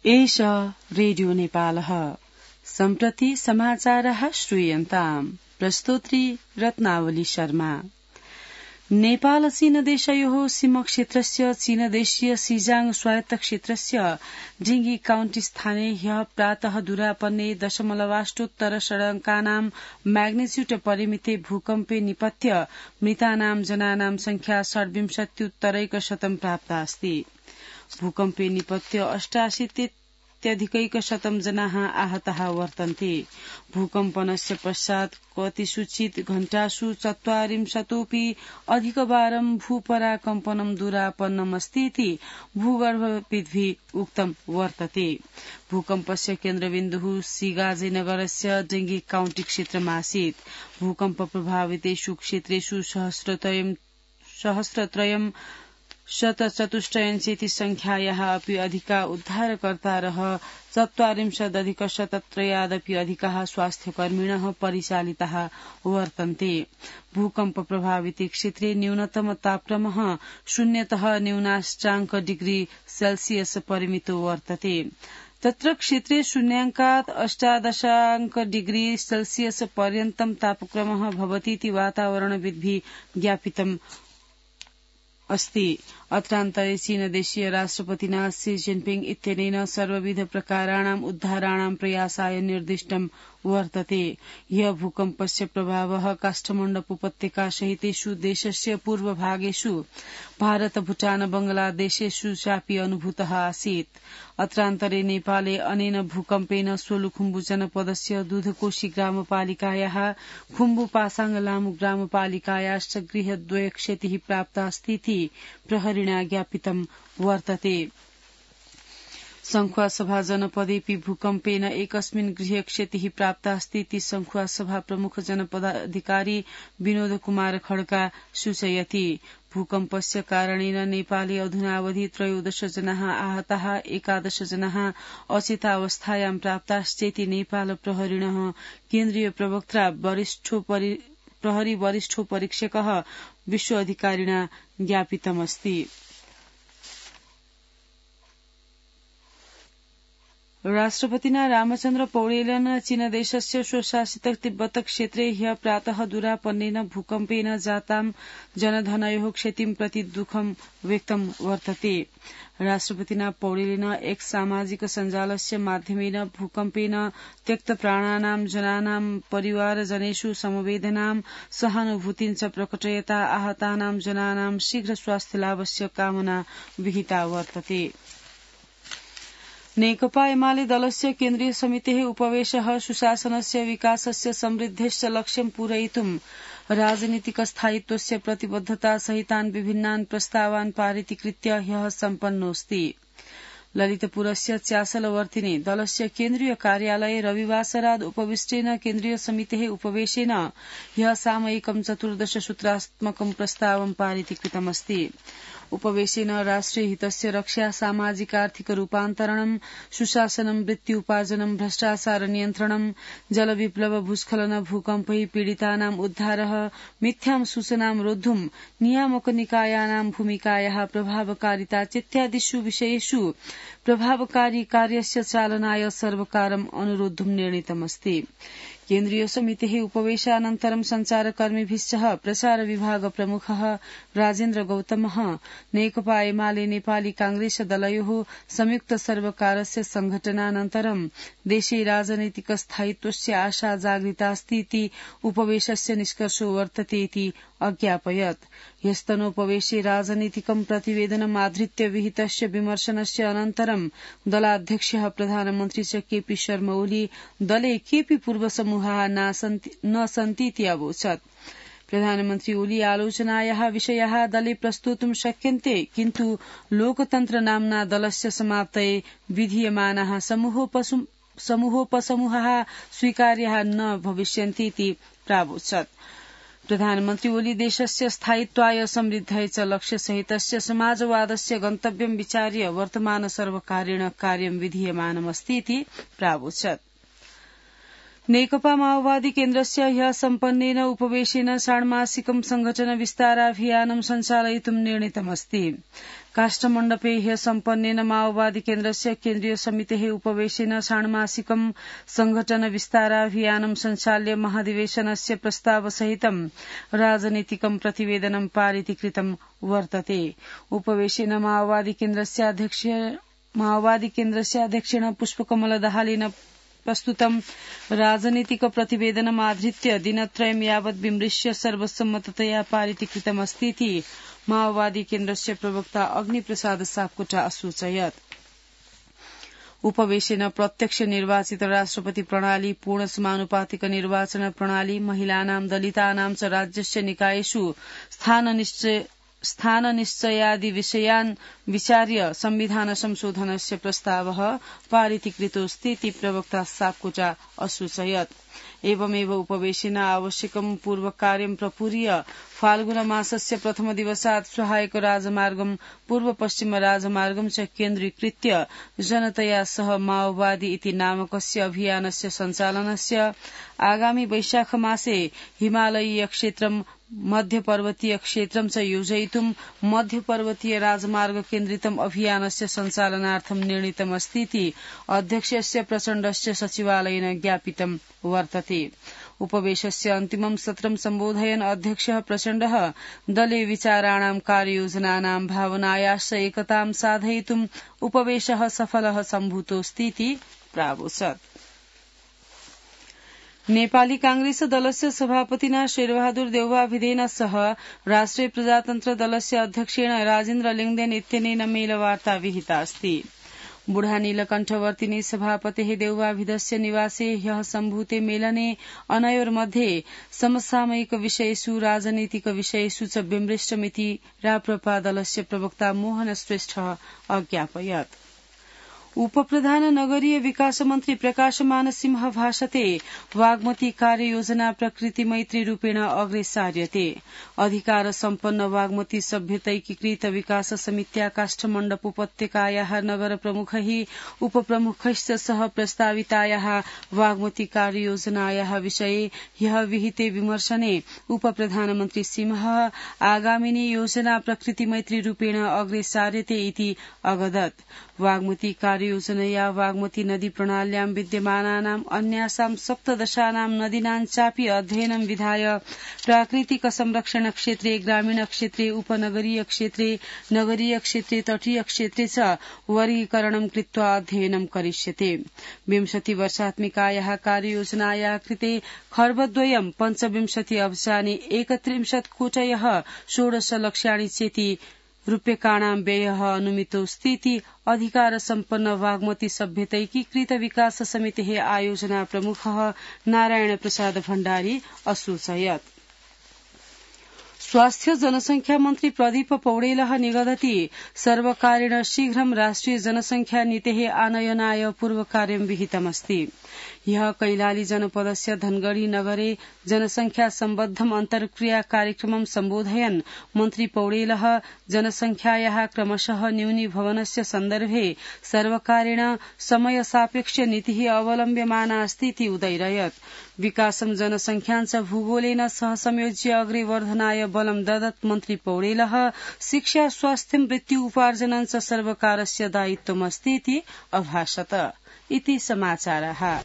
एष रेडियो नेपालः सम्प्रति समाचारः श्रूयन्ताम् प्रस्तोत्री रत्नावली शर्मा। नेपाल चीन देशयोः सीमा क्षेत्रस्य चीनदेशीय सिजाङ स्वायत्त क्षेत्रस्य जिंगी काउण्टी स्थाने ह्यः प्रातः दूरापन्ने 0.8 षडङ्कानां म्याग्निच्यूड परिमिते भूकम्पे निपत्य मृतानां जनानां संख्या 27% प्राप्ता अस्ति। भूकम्पे निपत्य 88% जनाः आहताः वर्तन्ते। भूकम्पनस्य पश्चात् कतिसूचित घण्टासु 40 अधिकवारं भूपराकम्पनं दूरापन्नमस्तीति भूगर्भविद्भिः उक्तं वर्तते। भूकम्पस्य केन्द्रबिन्दुः सिगाजेनगरस्य डेंगी काउण्टी क्षेत्रमासीत्। भूकम्प प्रभावितेषु क्षेत्रेषु सहस्रत्रयं शतचतुष्टयञ्चेति संख्यायाः अपि अधिका उद्धारकर्तारः 40,000 अधिकाः स्वास्थ्यकर्मिणः परिचालिताः वर्तन्ते। भूकम्प प्रभाविते क्षेत्रे न्यूनतम तापक्रमः 0तः न्यूनाष्टाङ्क डिग्री सेल्सियस परिमितो वर्तते। तत्र क्षेत्रे 0 18 डिग्री सेल्सियस पर्यन्तं तापक्रमः भवतीति वातावरणविद्भिः ज्ञापितम् अस्ति। अत्रान्तरे चीनदेशीय राष्ट्रपतिना शी जिनपिङ इत्यनेन सर्वविध प्रकाराणाम् उद्धाराणां प्रयासाय निर्दिष्टं वर्तते। ह्यः भूकम्पस्य प्रभावः काष्ठमण्डप उपत्यका सहितेषु देशस्य पूर्वभागेषु भारत भूटान बंगलादेशेषु चापि अनुभूतः आसीत्। अत्रान्तरे नेपाले अनेन भूकम्पेन सोलुखुम्बु जनपदस्य दुधकोशी ग्रामपालिकायाः खुम्बु पासाङ लामु ग्रामपालिकायाश्च गृहद्वय क्षतिः प्राप्तास्तीति प्रहरिणा ज्ञापितं वर्तते। संखुवासभा जनपदेऽपि भूकम्पेन एकस्मिन् गृहे क्षतिः प्राप्तास्तीति संखुवासभा प्रमुख जनपदाधिकारी विनोद कुमार खड्का सूचयति। भूकम्पस्य कारणेन नेपाले अधुनावधि 13 जनाः आहताः 11 जनाः अचेतावस्थायां प्राप्ताश्चेति नेपाल प्रहरिणः केन्द्रीय प्रवक्ता प्रहरी वरिष्ठोपरीक्षकः विश्व अधिकारिणा ज्ञापितमस्ति। राष्ट्रपतिना रामचन्द्र पौडेलेन चीनदेशस्य स्वशासित तिब्बत क्षेत्रे ह्यः प्रातः दूरापन्नेन भूकम्पेन जातां जनधनयोः क्षतिं प्रति दुःखं व्यक्तं वर्तते। राष्ट्रपतिना पौडेलेन एक्स सामाजिक सञ्जालस्य माध्यमेन भूकम्पेन त्यक्तप्राणानां जनानां परिवारजनेषु समवेदनां सहानुभूतिं च प्रकटयता आहतानां जनानां शीघ्र स्वास्थ्यलाभस्य कामना विहिता वर्तते। नेकपा एमाले दलस्य केन्द्रीय समितेः उपवेशः सुशासनस्य विकासस्य समृद्धेश्च लक्ष्यं पूरयितुं राजनीतिक स्थायित्वस्य प्रतिबद्धता सहितान् विभिन्नान् प्रस्तावान् पारितीकृत्य ह्यः सम्पन्नोऽस्ति। ललितपुरस्य च्यासलवर्तिने दलस्य केन्द्रीय कार्यालये रविवासराद उपविष्टेन केन्द्रीय समितेः उपवेशेन ह्यः सामयिकं 14 सूत्रात्मकं प्रस्तावं पारितीकृतमस्ति। उपवेशेन राष्ट्रिय हितस्य रक्षा, सामाजिक आर्थिक रूपान्तरणं, सुशासनं, वृत्ति उपार्जनं, भ्रष्टाचार नियन्त्रणं, जलविप्लव, भूस्खलन, भूकम्पैः पीडितानां उद्धारः, मिथ्यां सूचनां रोद्धुं नियामक निकायानां भूमिकायाः प्रभावकारिता इत्यादिषु विषयेषु प्रभावकारी कार्यस्य चालनाय सर्वकारम् अनुरोद्धुं निर्णीतमस्ति। केन्द्रीय समितेः उपवेशानन्तरं संचारकर्मिभिः सह प्रचार विभाग प्रमुखः राजेन्द्र गौतमः नेकपा एमाले नेपाली कांग्रेस दलयोः संयुक्त सर्वकारस्य संघटनानन्तरं देशे राजनैतिक स्थायित्वस्य आशा जागरितास्तीति उपवेशस्य निष्कर्षो वर्तते इति अज्ञापयत्। ह्यस्तनोपवेशे राजनीतिकं प्रतिवेदनमाधृत्य विहितस्य विमर्शनस्य अनन्तरं दलाध्यक्षः प्रधानमन्त्री च केपी शर्मा ओली दले केपि पूर्वसमूहाः न सन्तीति अवोचत्। प्रधानमन्त्री ओली आलोचनायाः विषयाः दले प्रस्तोतुं शक्यन्ते, किन्तु लोकतन्त्र नाम्ना दलस्य समाप्तये विधीयमानाः समूहोपसमूहाः स्वीकार्याः न भविष्यन्तीति प्रावोचत्। प्रधानमन्त्री ओली देशस्य स्थायित्वाय समृद्धये च लक्ष्यसहितस्य समाजवादस्य गन्तव्यं विचार्य वर्तमान सर्वकारेण कार्यं विधीयमानमस्तीति प्रावोचत्। नेकपा माओवादी केन्द्रस्य ह्यः सम्पन्नेन उपवेशेन षाण्मासिकं संघटन विस्ताराभियानं सञ्चालयितुं निर्णीतमस्ति। काष्ठमण्डपे ह्य सम्पन्नेन माओवादी केन्द्रस्य केन्द्रीय समितेः उपवेशेन षाण्मासिकं संघटन विस्ताराभियानं संचाल्य महाधिवेशनस्य प्रस्तावसहितं राजनीतिकं प्रतिवेदनं पारितीकृतं वर्तते। उपवेशेन माओवादी केन्द्रस्य अध्यक्षेण पुष्पकमल दाहालेन प्रस्तुतं राजनीतिक प्रतिवेदनमाधृत्य दिनत्रयं यावत् विमृश्य सर्वसम्मततया पारितीकृतमस्तीति माओवादी केन्द्रस्य प्रवक्ता अग्निप्रसाद सापकोटा असूचयत्। उपवेशेन प्रत्यक्ष निर्वाचित राष्ट्रपति प्रणाली, पूर्ण समानुपातिक निर्वाचन प्रणाली, महिलानां दलितानां च राज्यस्य निकायेषु स्थाननिश्चयादि विषयान् विचार्य संविधान संशोधनस्य प्रस्तावः पारितीकृतोऽस्तीति प्रवक्ता सापकोटा असूचयत्। एवमेव उपवेशेन आवश्यकं पूर्वकार्यं प्रपूर्य फाल्गुनमासस्य प्रथम दिवसात् सहायक राजमार्गं पूर्व पश्चिम राजमार्गं च केन्द्रीकृत्य जनतया सह माओवादी इति नामकस्य अभियानस्य सञ्चालनस्य आगामि वैशाख मासे हिमालयीय क्षेत्रं मध्यपर्वतीय क्षेत्रं च योजयितुं मध्यपर्वतीय राजमार्ग केन्द्रितम् अभियानस्य सञ्चालनार्थं निर्णीतमस्तीति अध्यक्षस्य प्रचण्डस्य सचिवालयेन ज्ञापितं वर्तते। उपवेशस्य अन्तिमं सत्रं सम्बोधयन् अध्यक्षः प्रचण्डः दले विचाराणां कार्ययोजनानां भावनायाश्च एकतां साधयितुं उपवेशः सफलः सम्भूतोऽस्तीति प्रावोचत्। नेपाली कांग्रेस दलस्य सभापतिना शेरबहादुर देउवाभिधेन सह राष्ट्रिय प्रजातन्त्र दलस्य अध्यक्षेण राजेन्द्र लिङदेन इत्यनेन मेलवार्ता विहिता अस्ति। बुढा नीलकण्ठवर्तिनी सभापतेः देउवाभिधस्य निवासे ह्यः सम्भूते मेलने अनयोर्मध्ये समसामयिक विषयेषु राजनीतिक विषयेषु च विमृष्टमिति राप्रपा दलस्य प्रवक्ता मोहन श्रेष्ठः अज्ञापयत्। उपप्रधान नगरीय विकास मन्त्री प्रकाशमान सिंह भाषते वाग्मती कार्ययोजना प्रकृति मैत्री रूपेण अग्रे सार्यते। अधिकार सम्पन्न वाग्मती सभ्यतैकीकृत विकास समित्या काष्ठमण्डप उपत्यकायाः नगर प्रमुखैः उपप्रमुखैश्च सह प्रस्तावितायाः वाग्मती कार्ययोजनायाः विषये ह्यः विहिते विमर्शने उपप्रधानमन्त्री सिंह आगामिनी योजना प्रकृति मैत्री रूपेण अग्रे सार्यते इति अगदत्। वाग्मती कार्ययोजनया वाग्मती नदी प्रणाल्यां विद्यमानानाम् अन्यासां सप्तदशानां नदीनां चापि अध्ययनं विधाय प्राकृतिक संरक्षण क्षेत्रे, ग्रामीण क्षेत्रे, उपनगरीय क्षेत्रे, नगरीय क्षेत्रे, तटीय क्षेत्रे च वर्गीकरणं कृत्वा अध्ययनं करिष्यते। 20 वर्षात्मिकायाः कार्ययोजनायाः कृते खर्बद्वयं 25 अब्जानि 31 कोटयः 16 लक्ष्याणि चेति रूप्यकाणां व्ययः अनुमितोऽस्तीति अधिकार सम्पन्न वाग्मती सभ्यतैकीकृत विकास समितेः आयोजना प्रमुखः नारायण प्रसाद भण्डारी असूचयत्। स्वास्थ्य जनसंख्या मन्त्री प्रदीप पौडेलः निगदति सर्वकारेण शीघ्रं राष्ट्रिय जनसंख्या नीतेः आनयनाय पूर्वकार्यं विहितमस्ति। ह्यः कैलाली जनपदस्य धनगढ़ी नगरे जनसंख्या सम्बद्धम् अन्तर्क्रिया कार्यक्रमं सम्बोधयन् मन्त्री पौडेलः जनसंख्यायाः क्रमशः न्यूनीभवनस्य सन्दर्भे सर्वकारेण समय सापेक्ष नीतिः अवलम्ब्यमाना अस्तीति उदैरयत्। विकासं जनसंख्यां च भूगोलेन सह संयोज्य अग्रे वर्धनाय बलं ददत् मन्त्री पौडेलः शिक्षा, स्वास्थ्यं, वृत्ति उपार्जनं च सर्वकारस्य दायित्वमस्तीति अभाषत। इति समाचारः।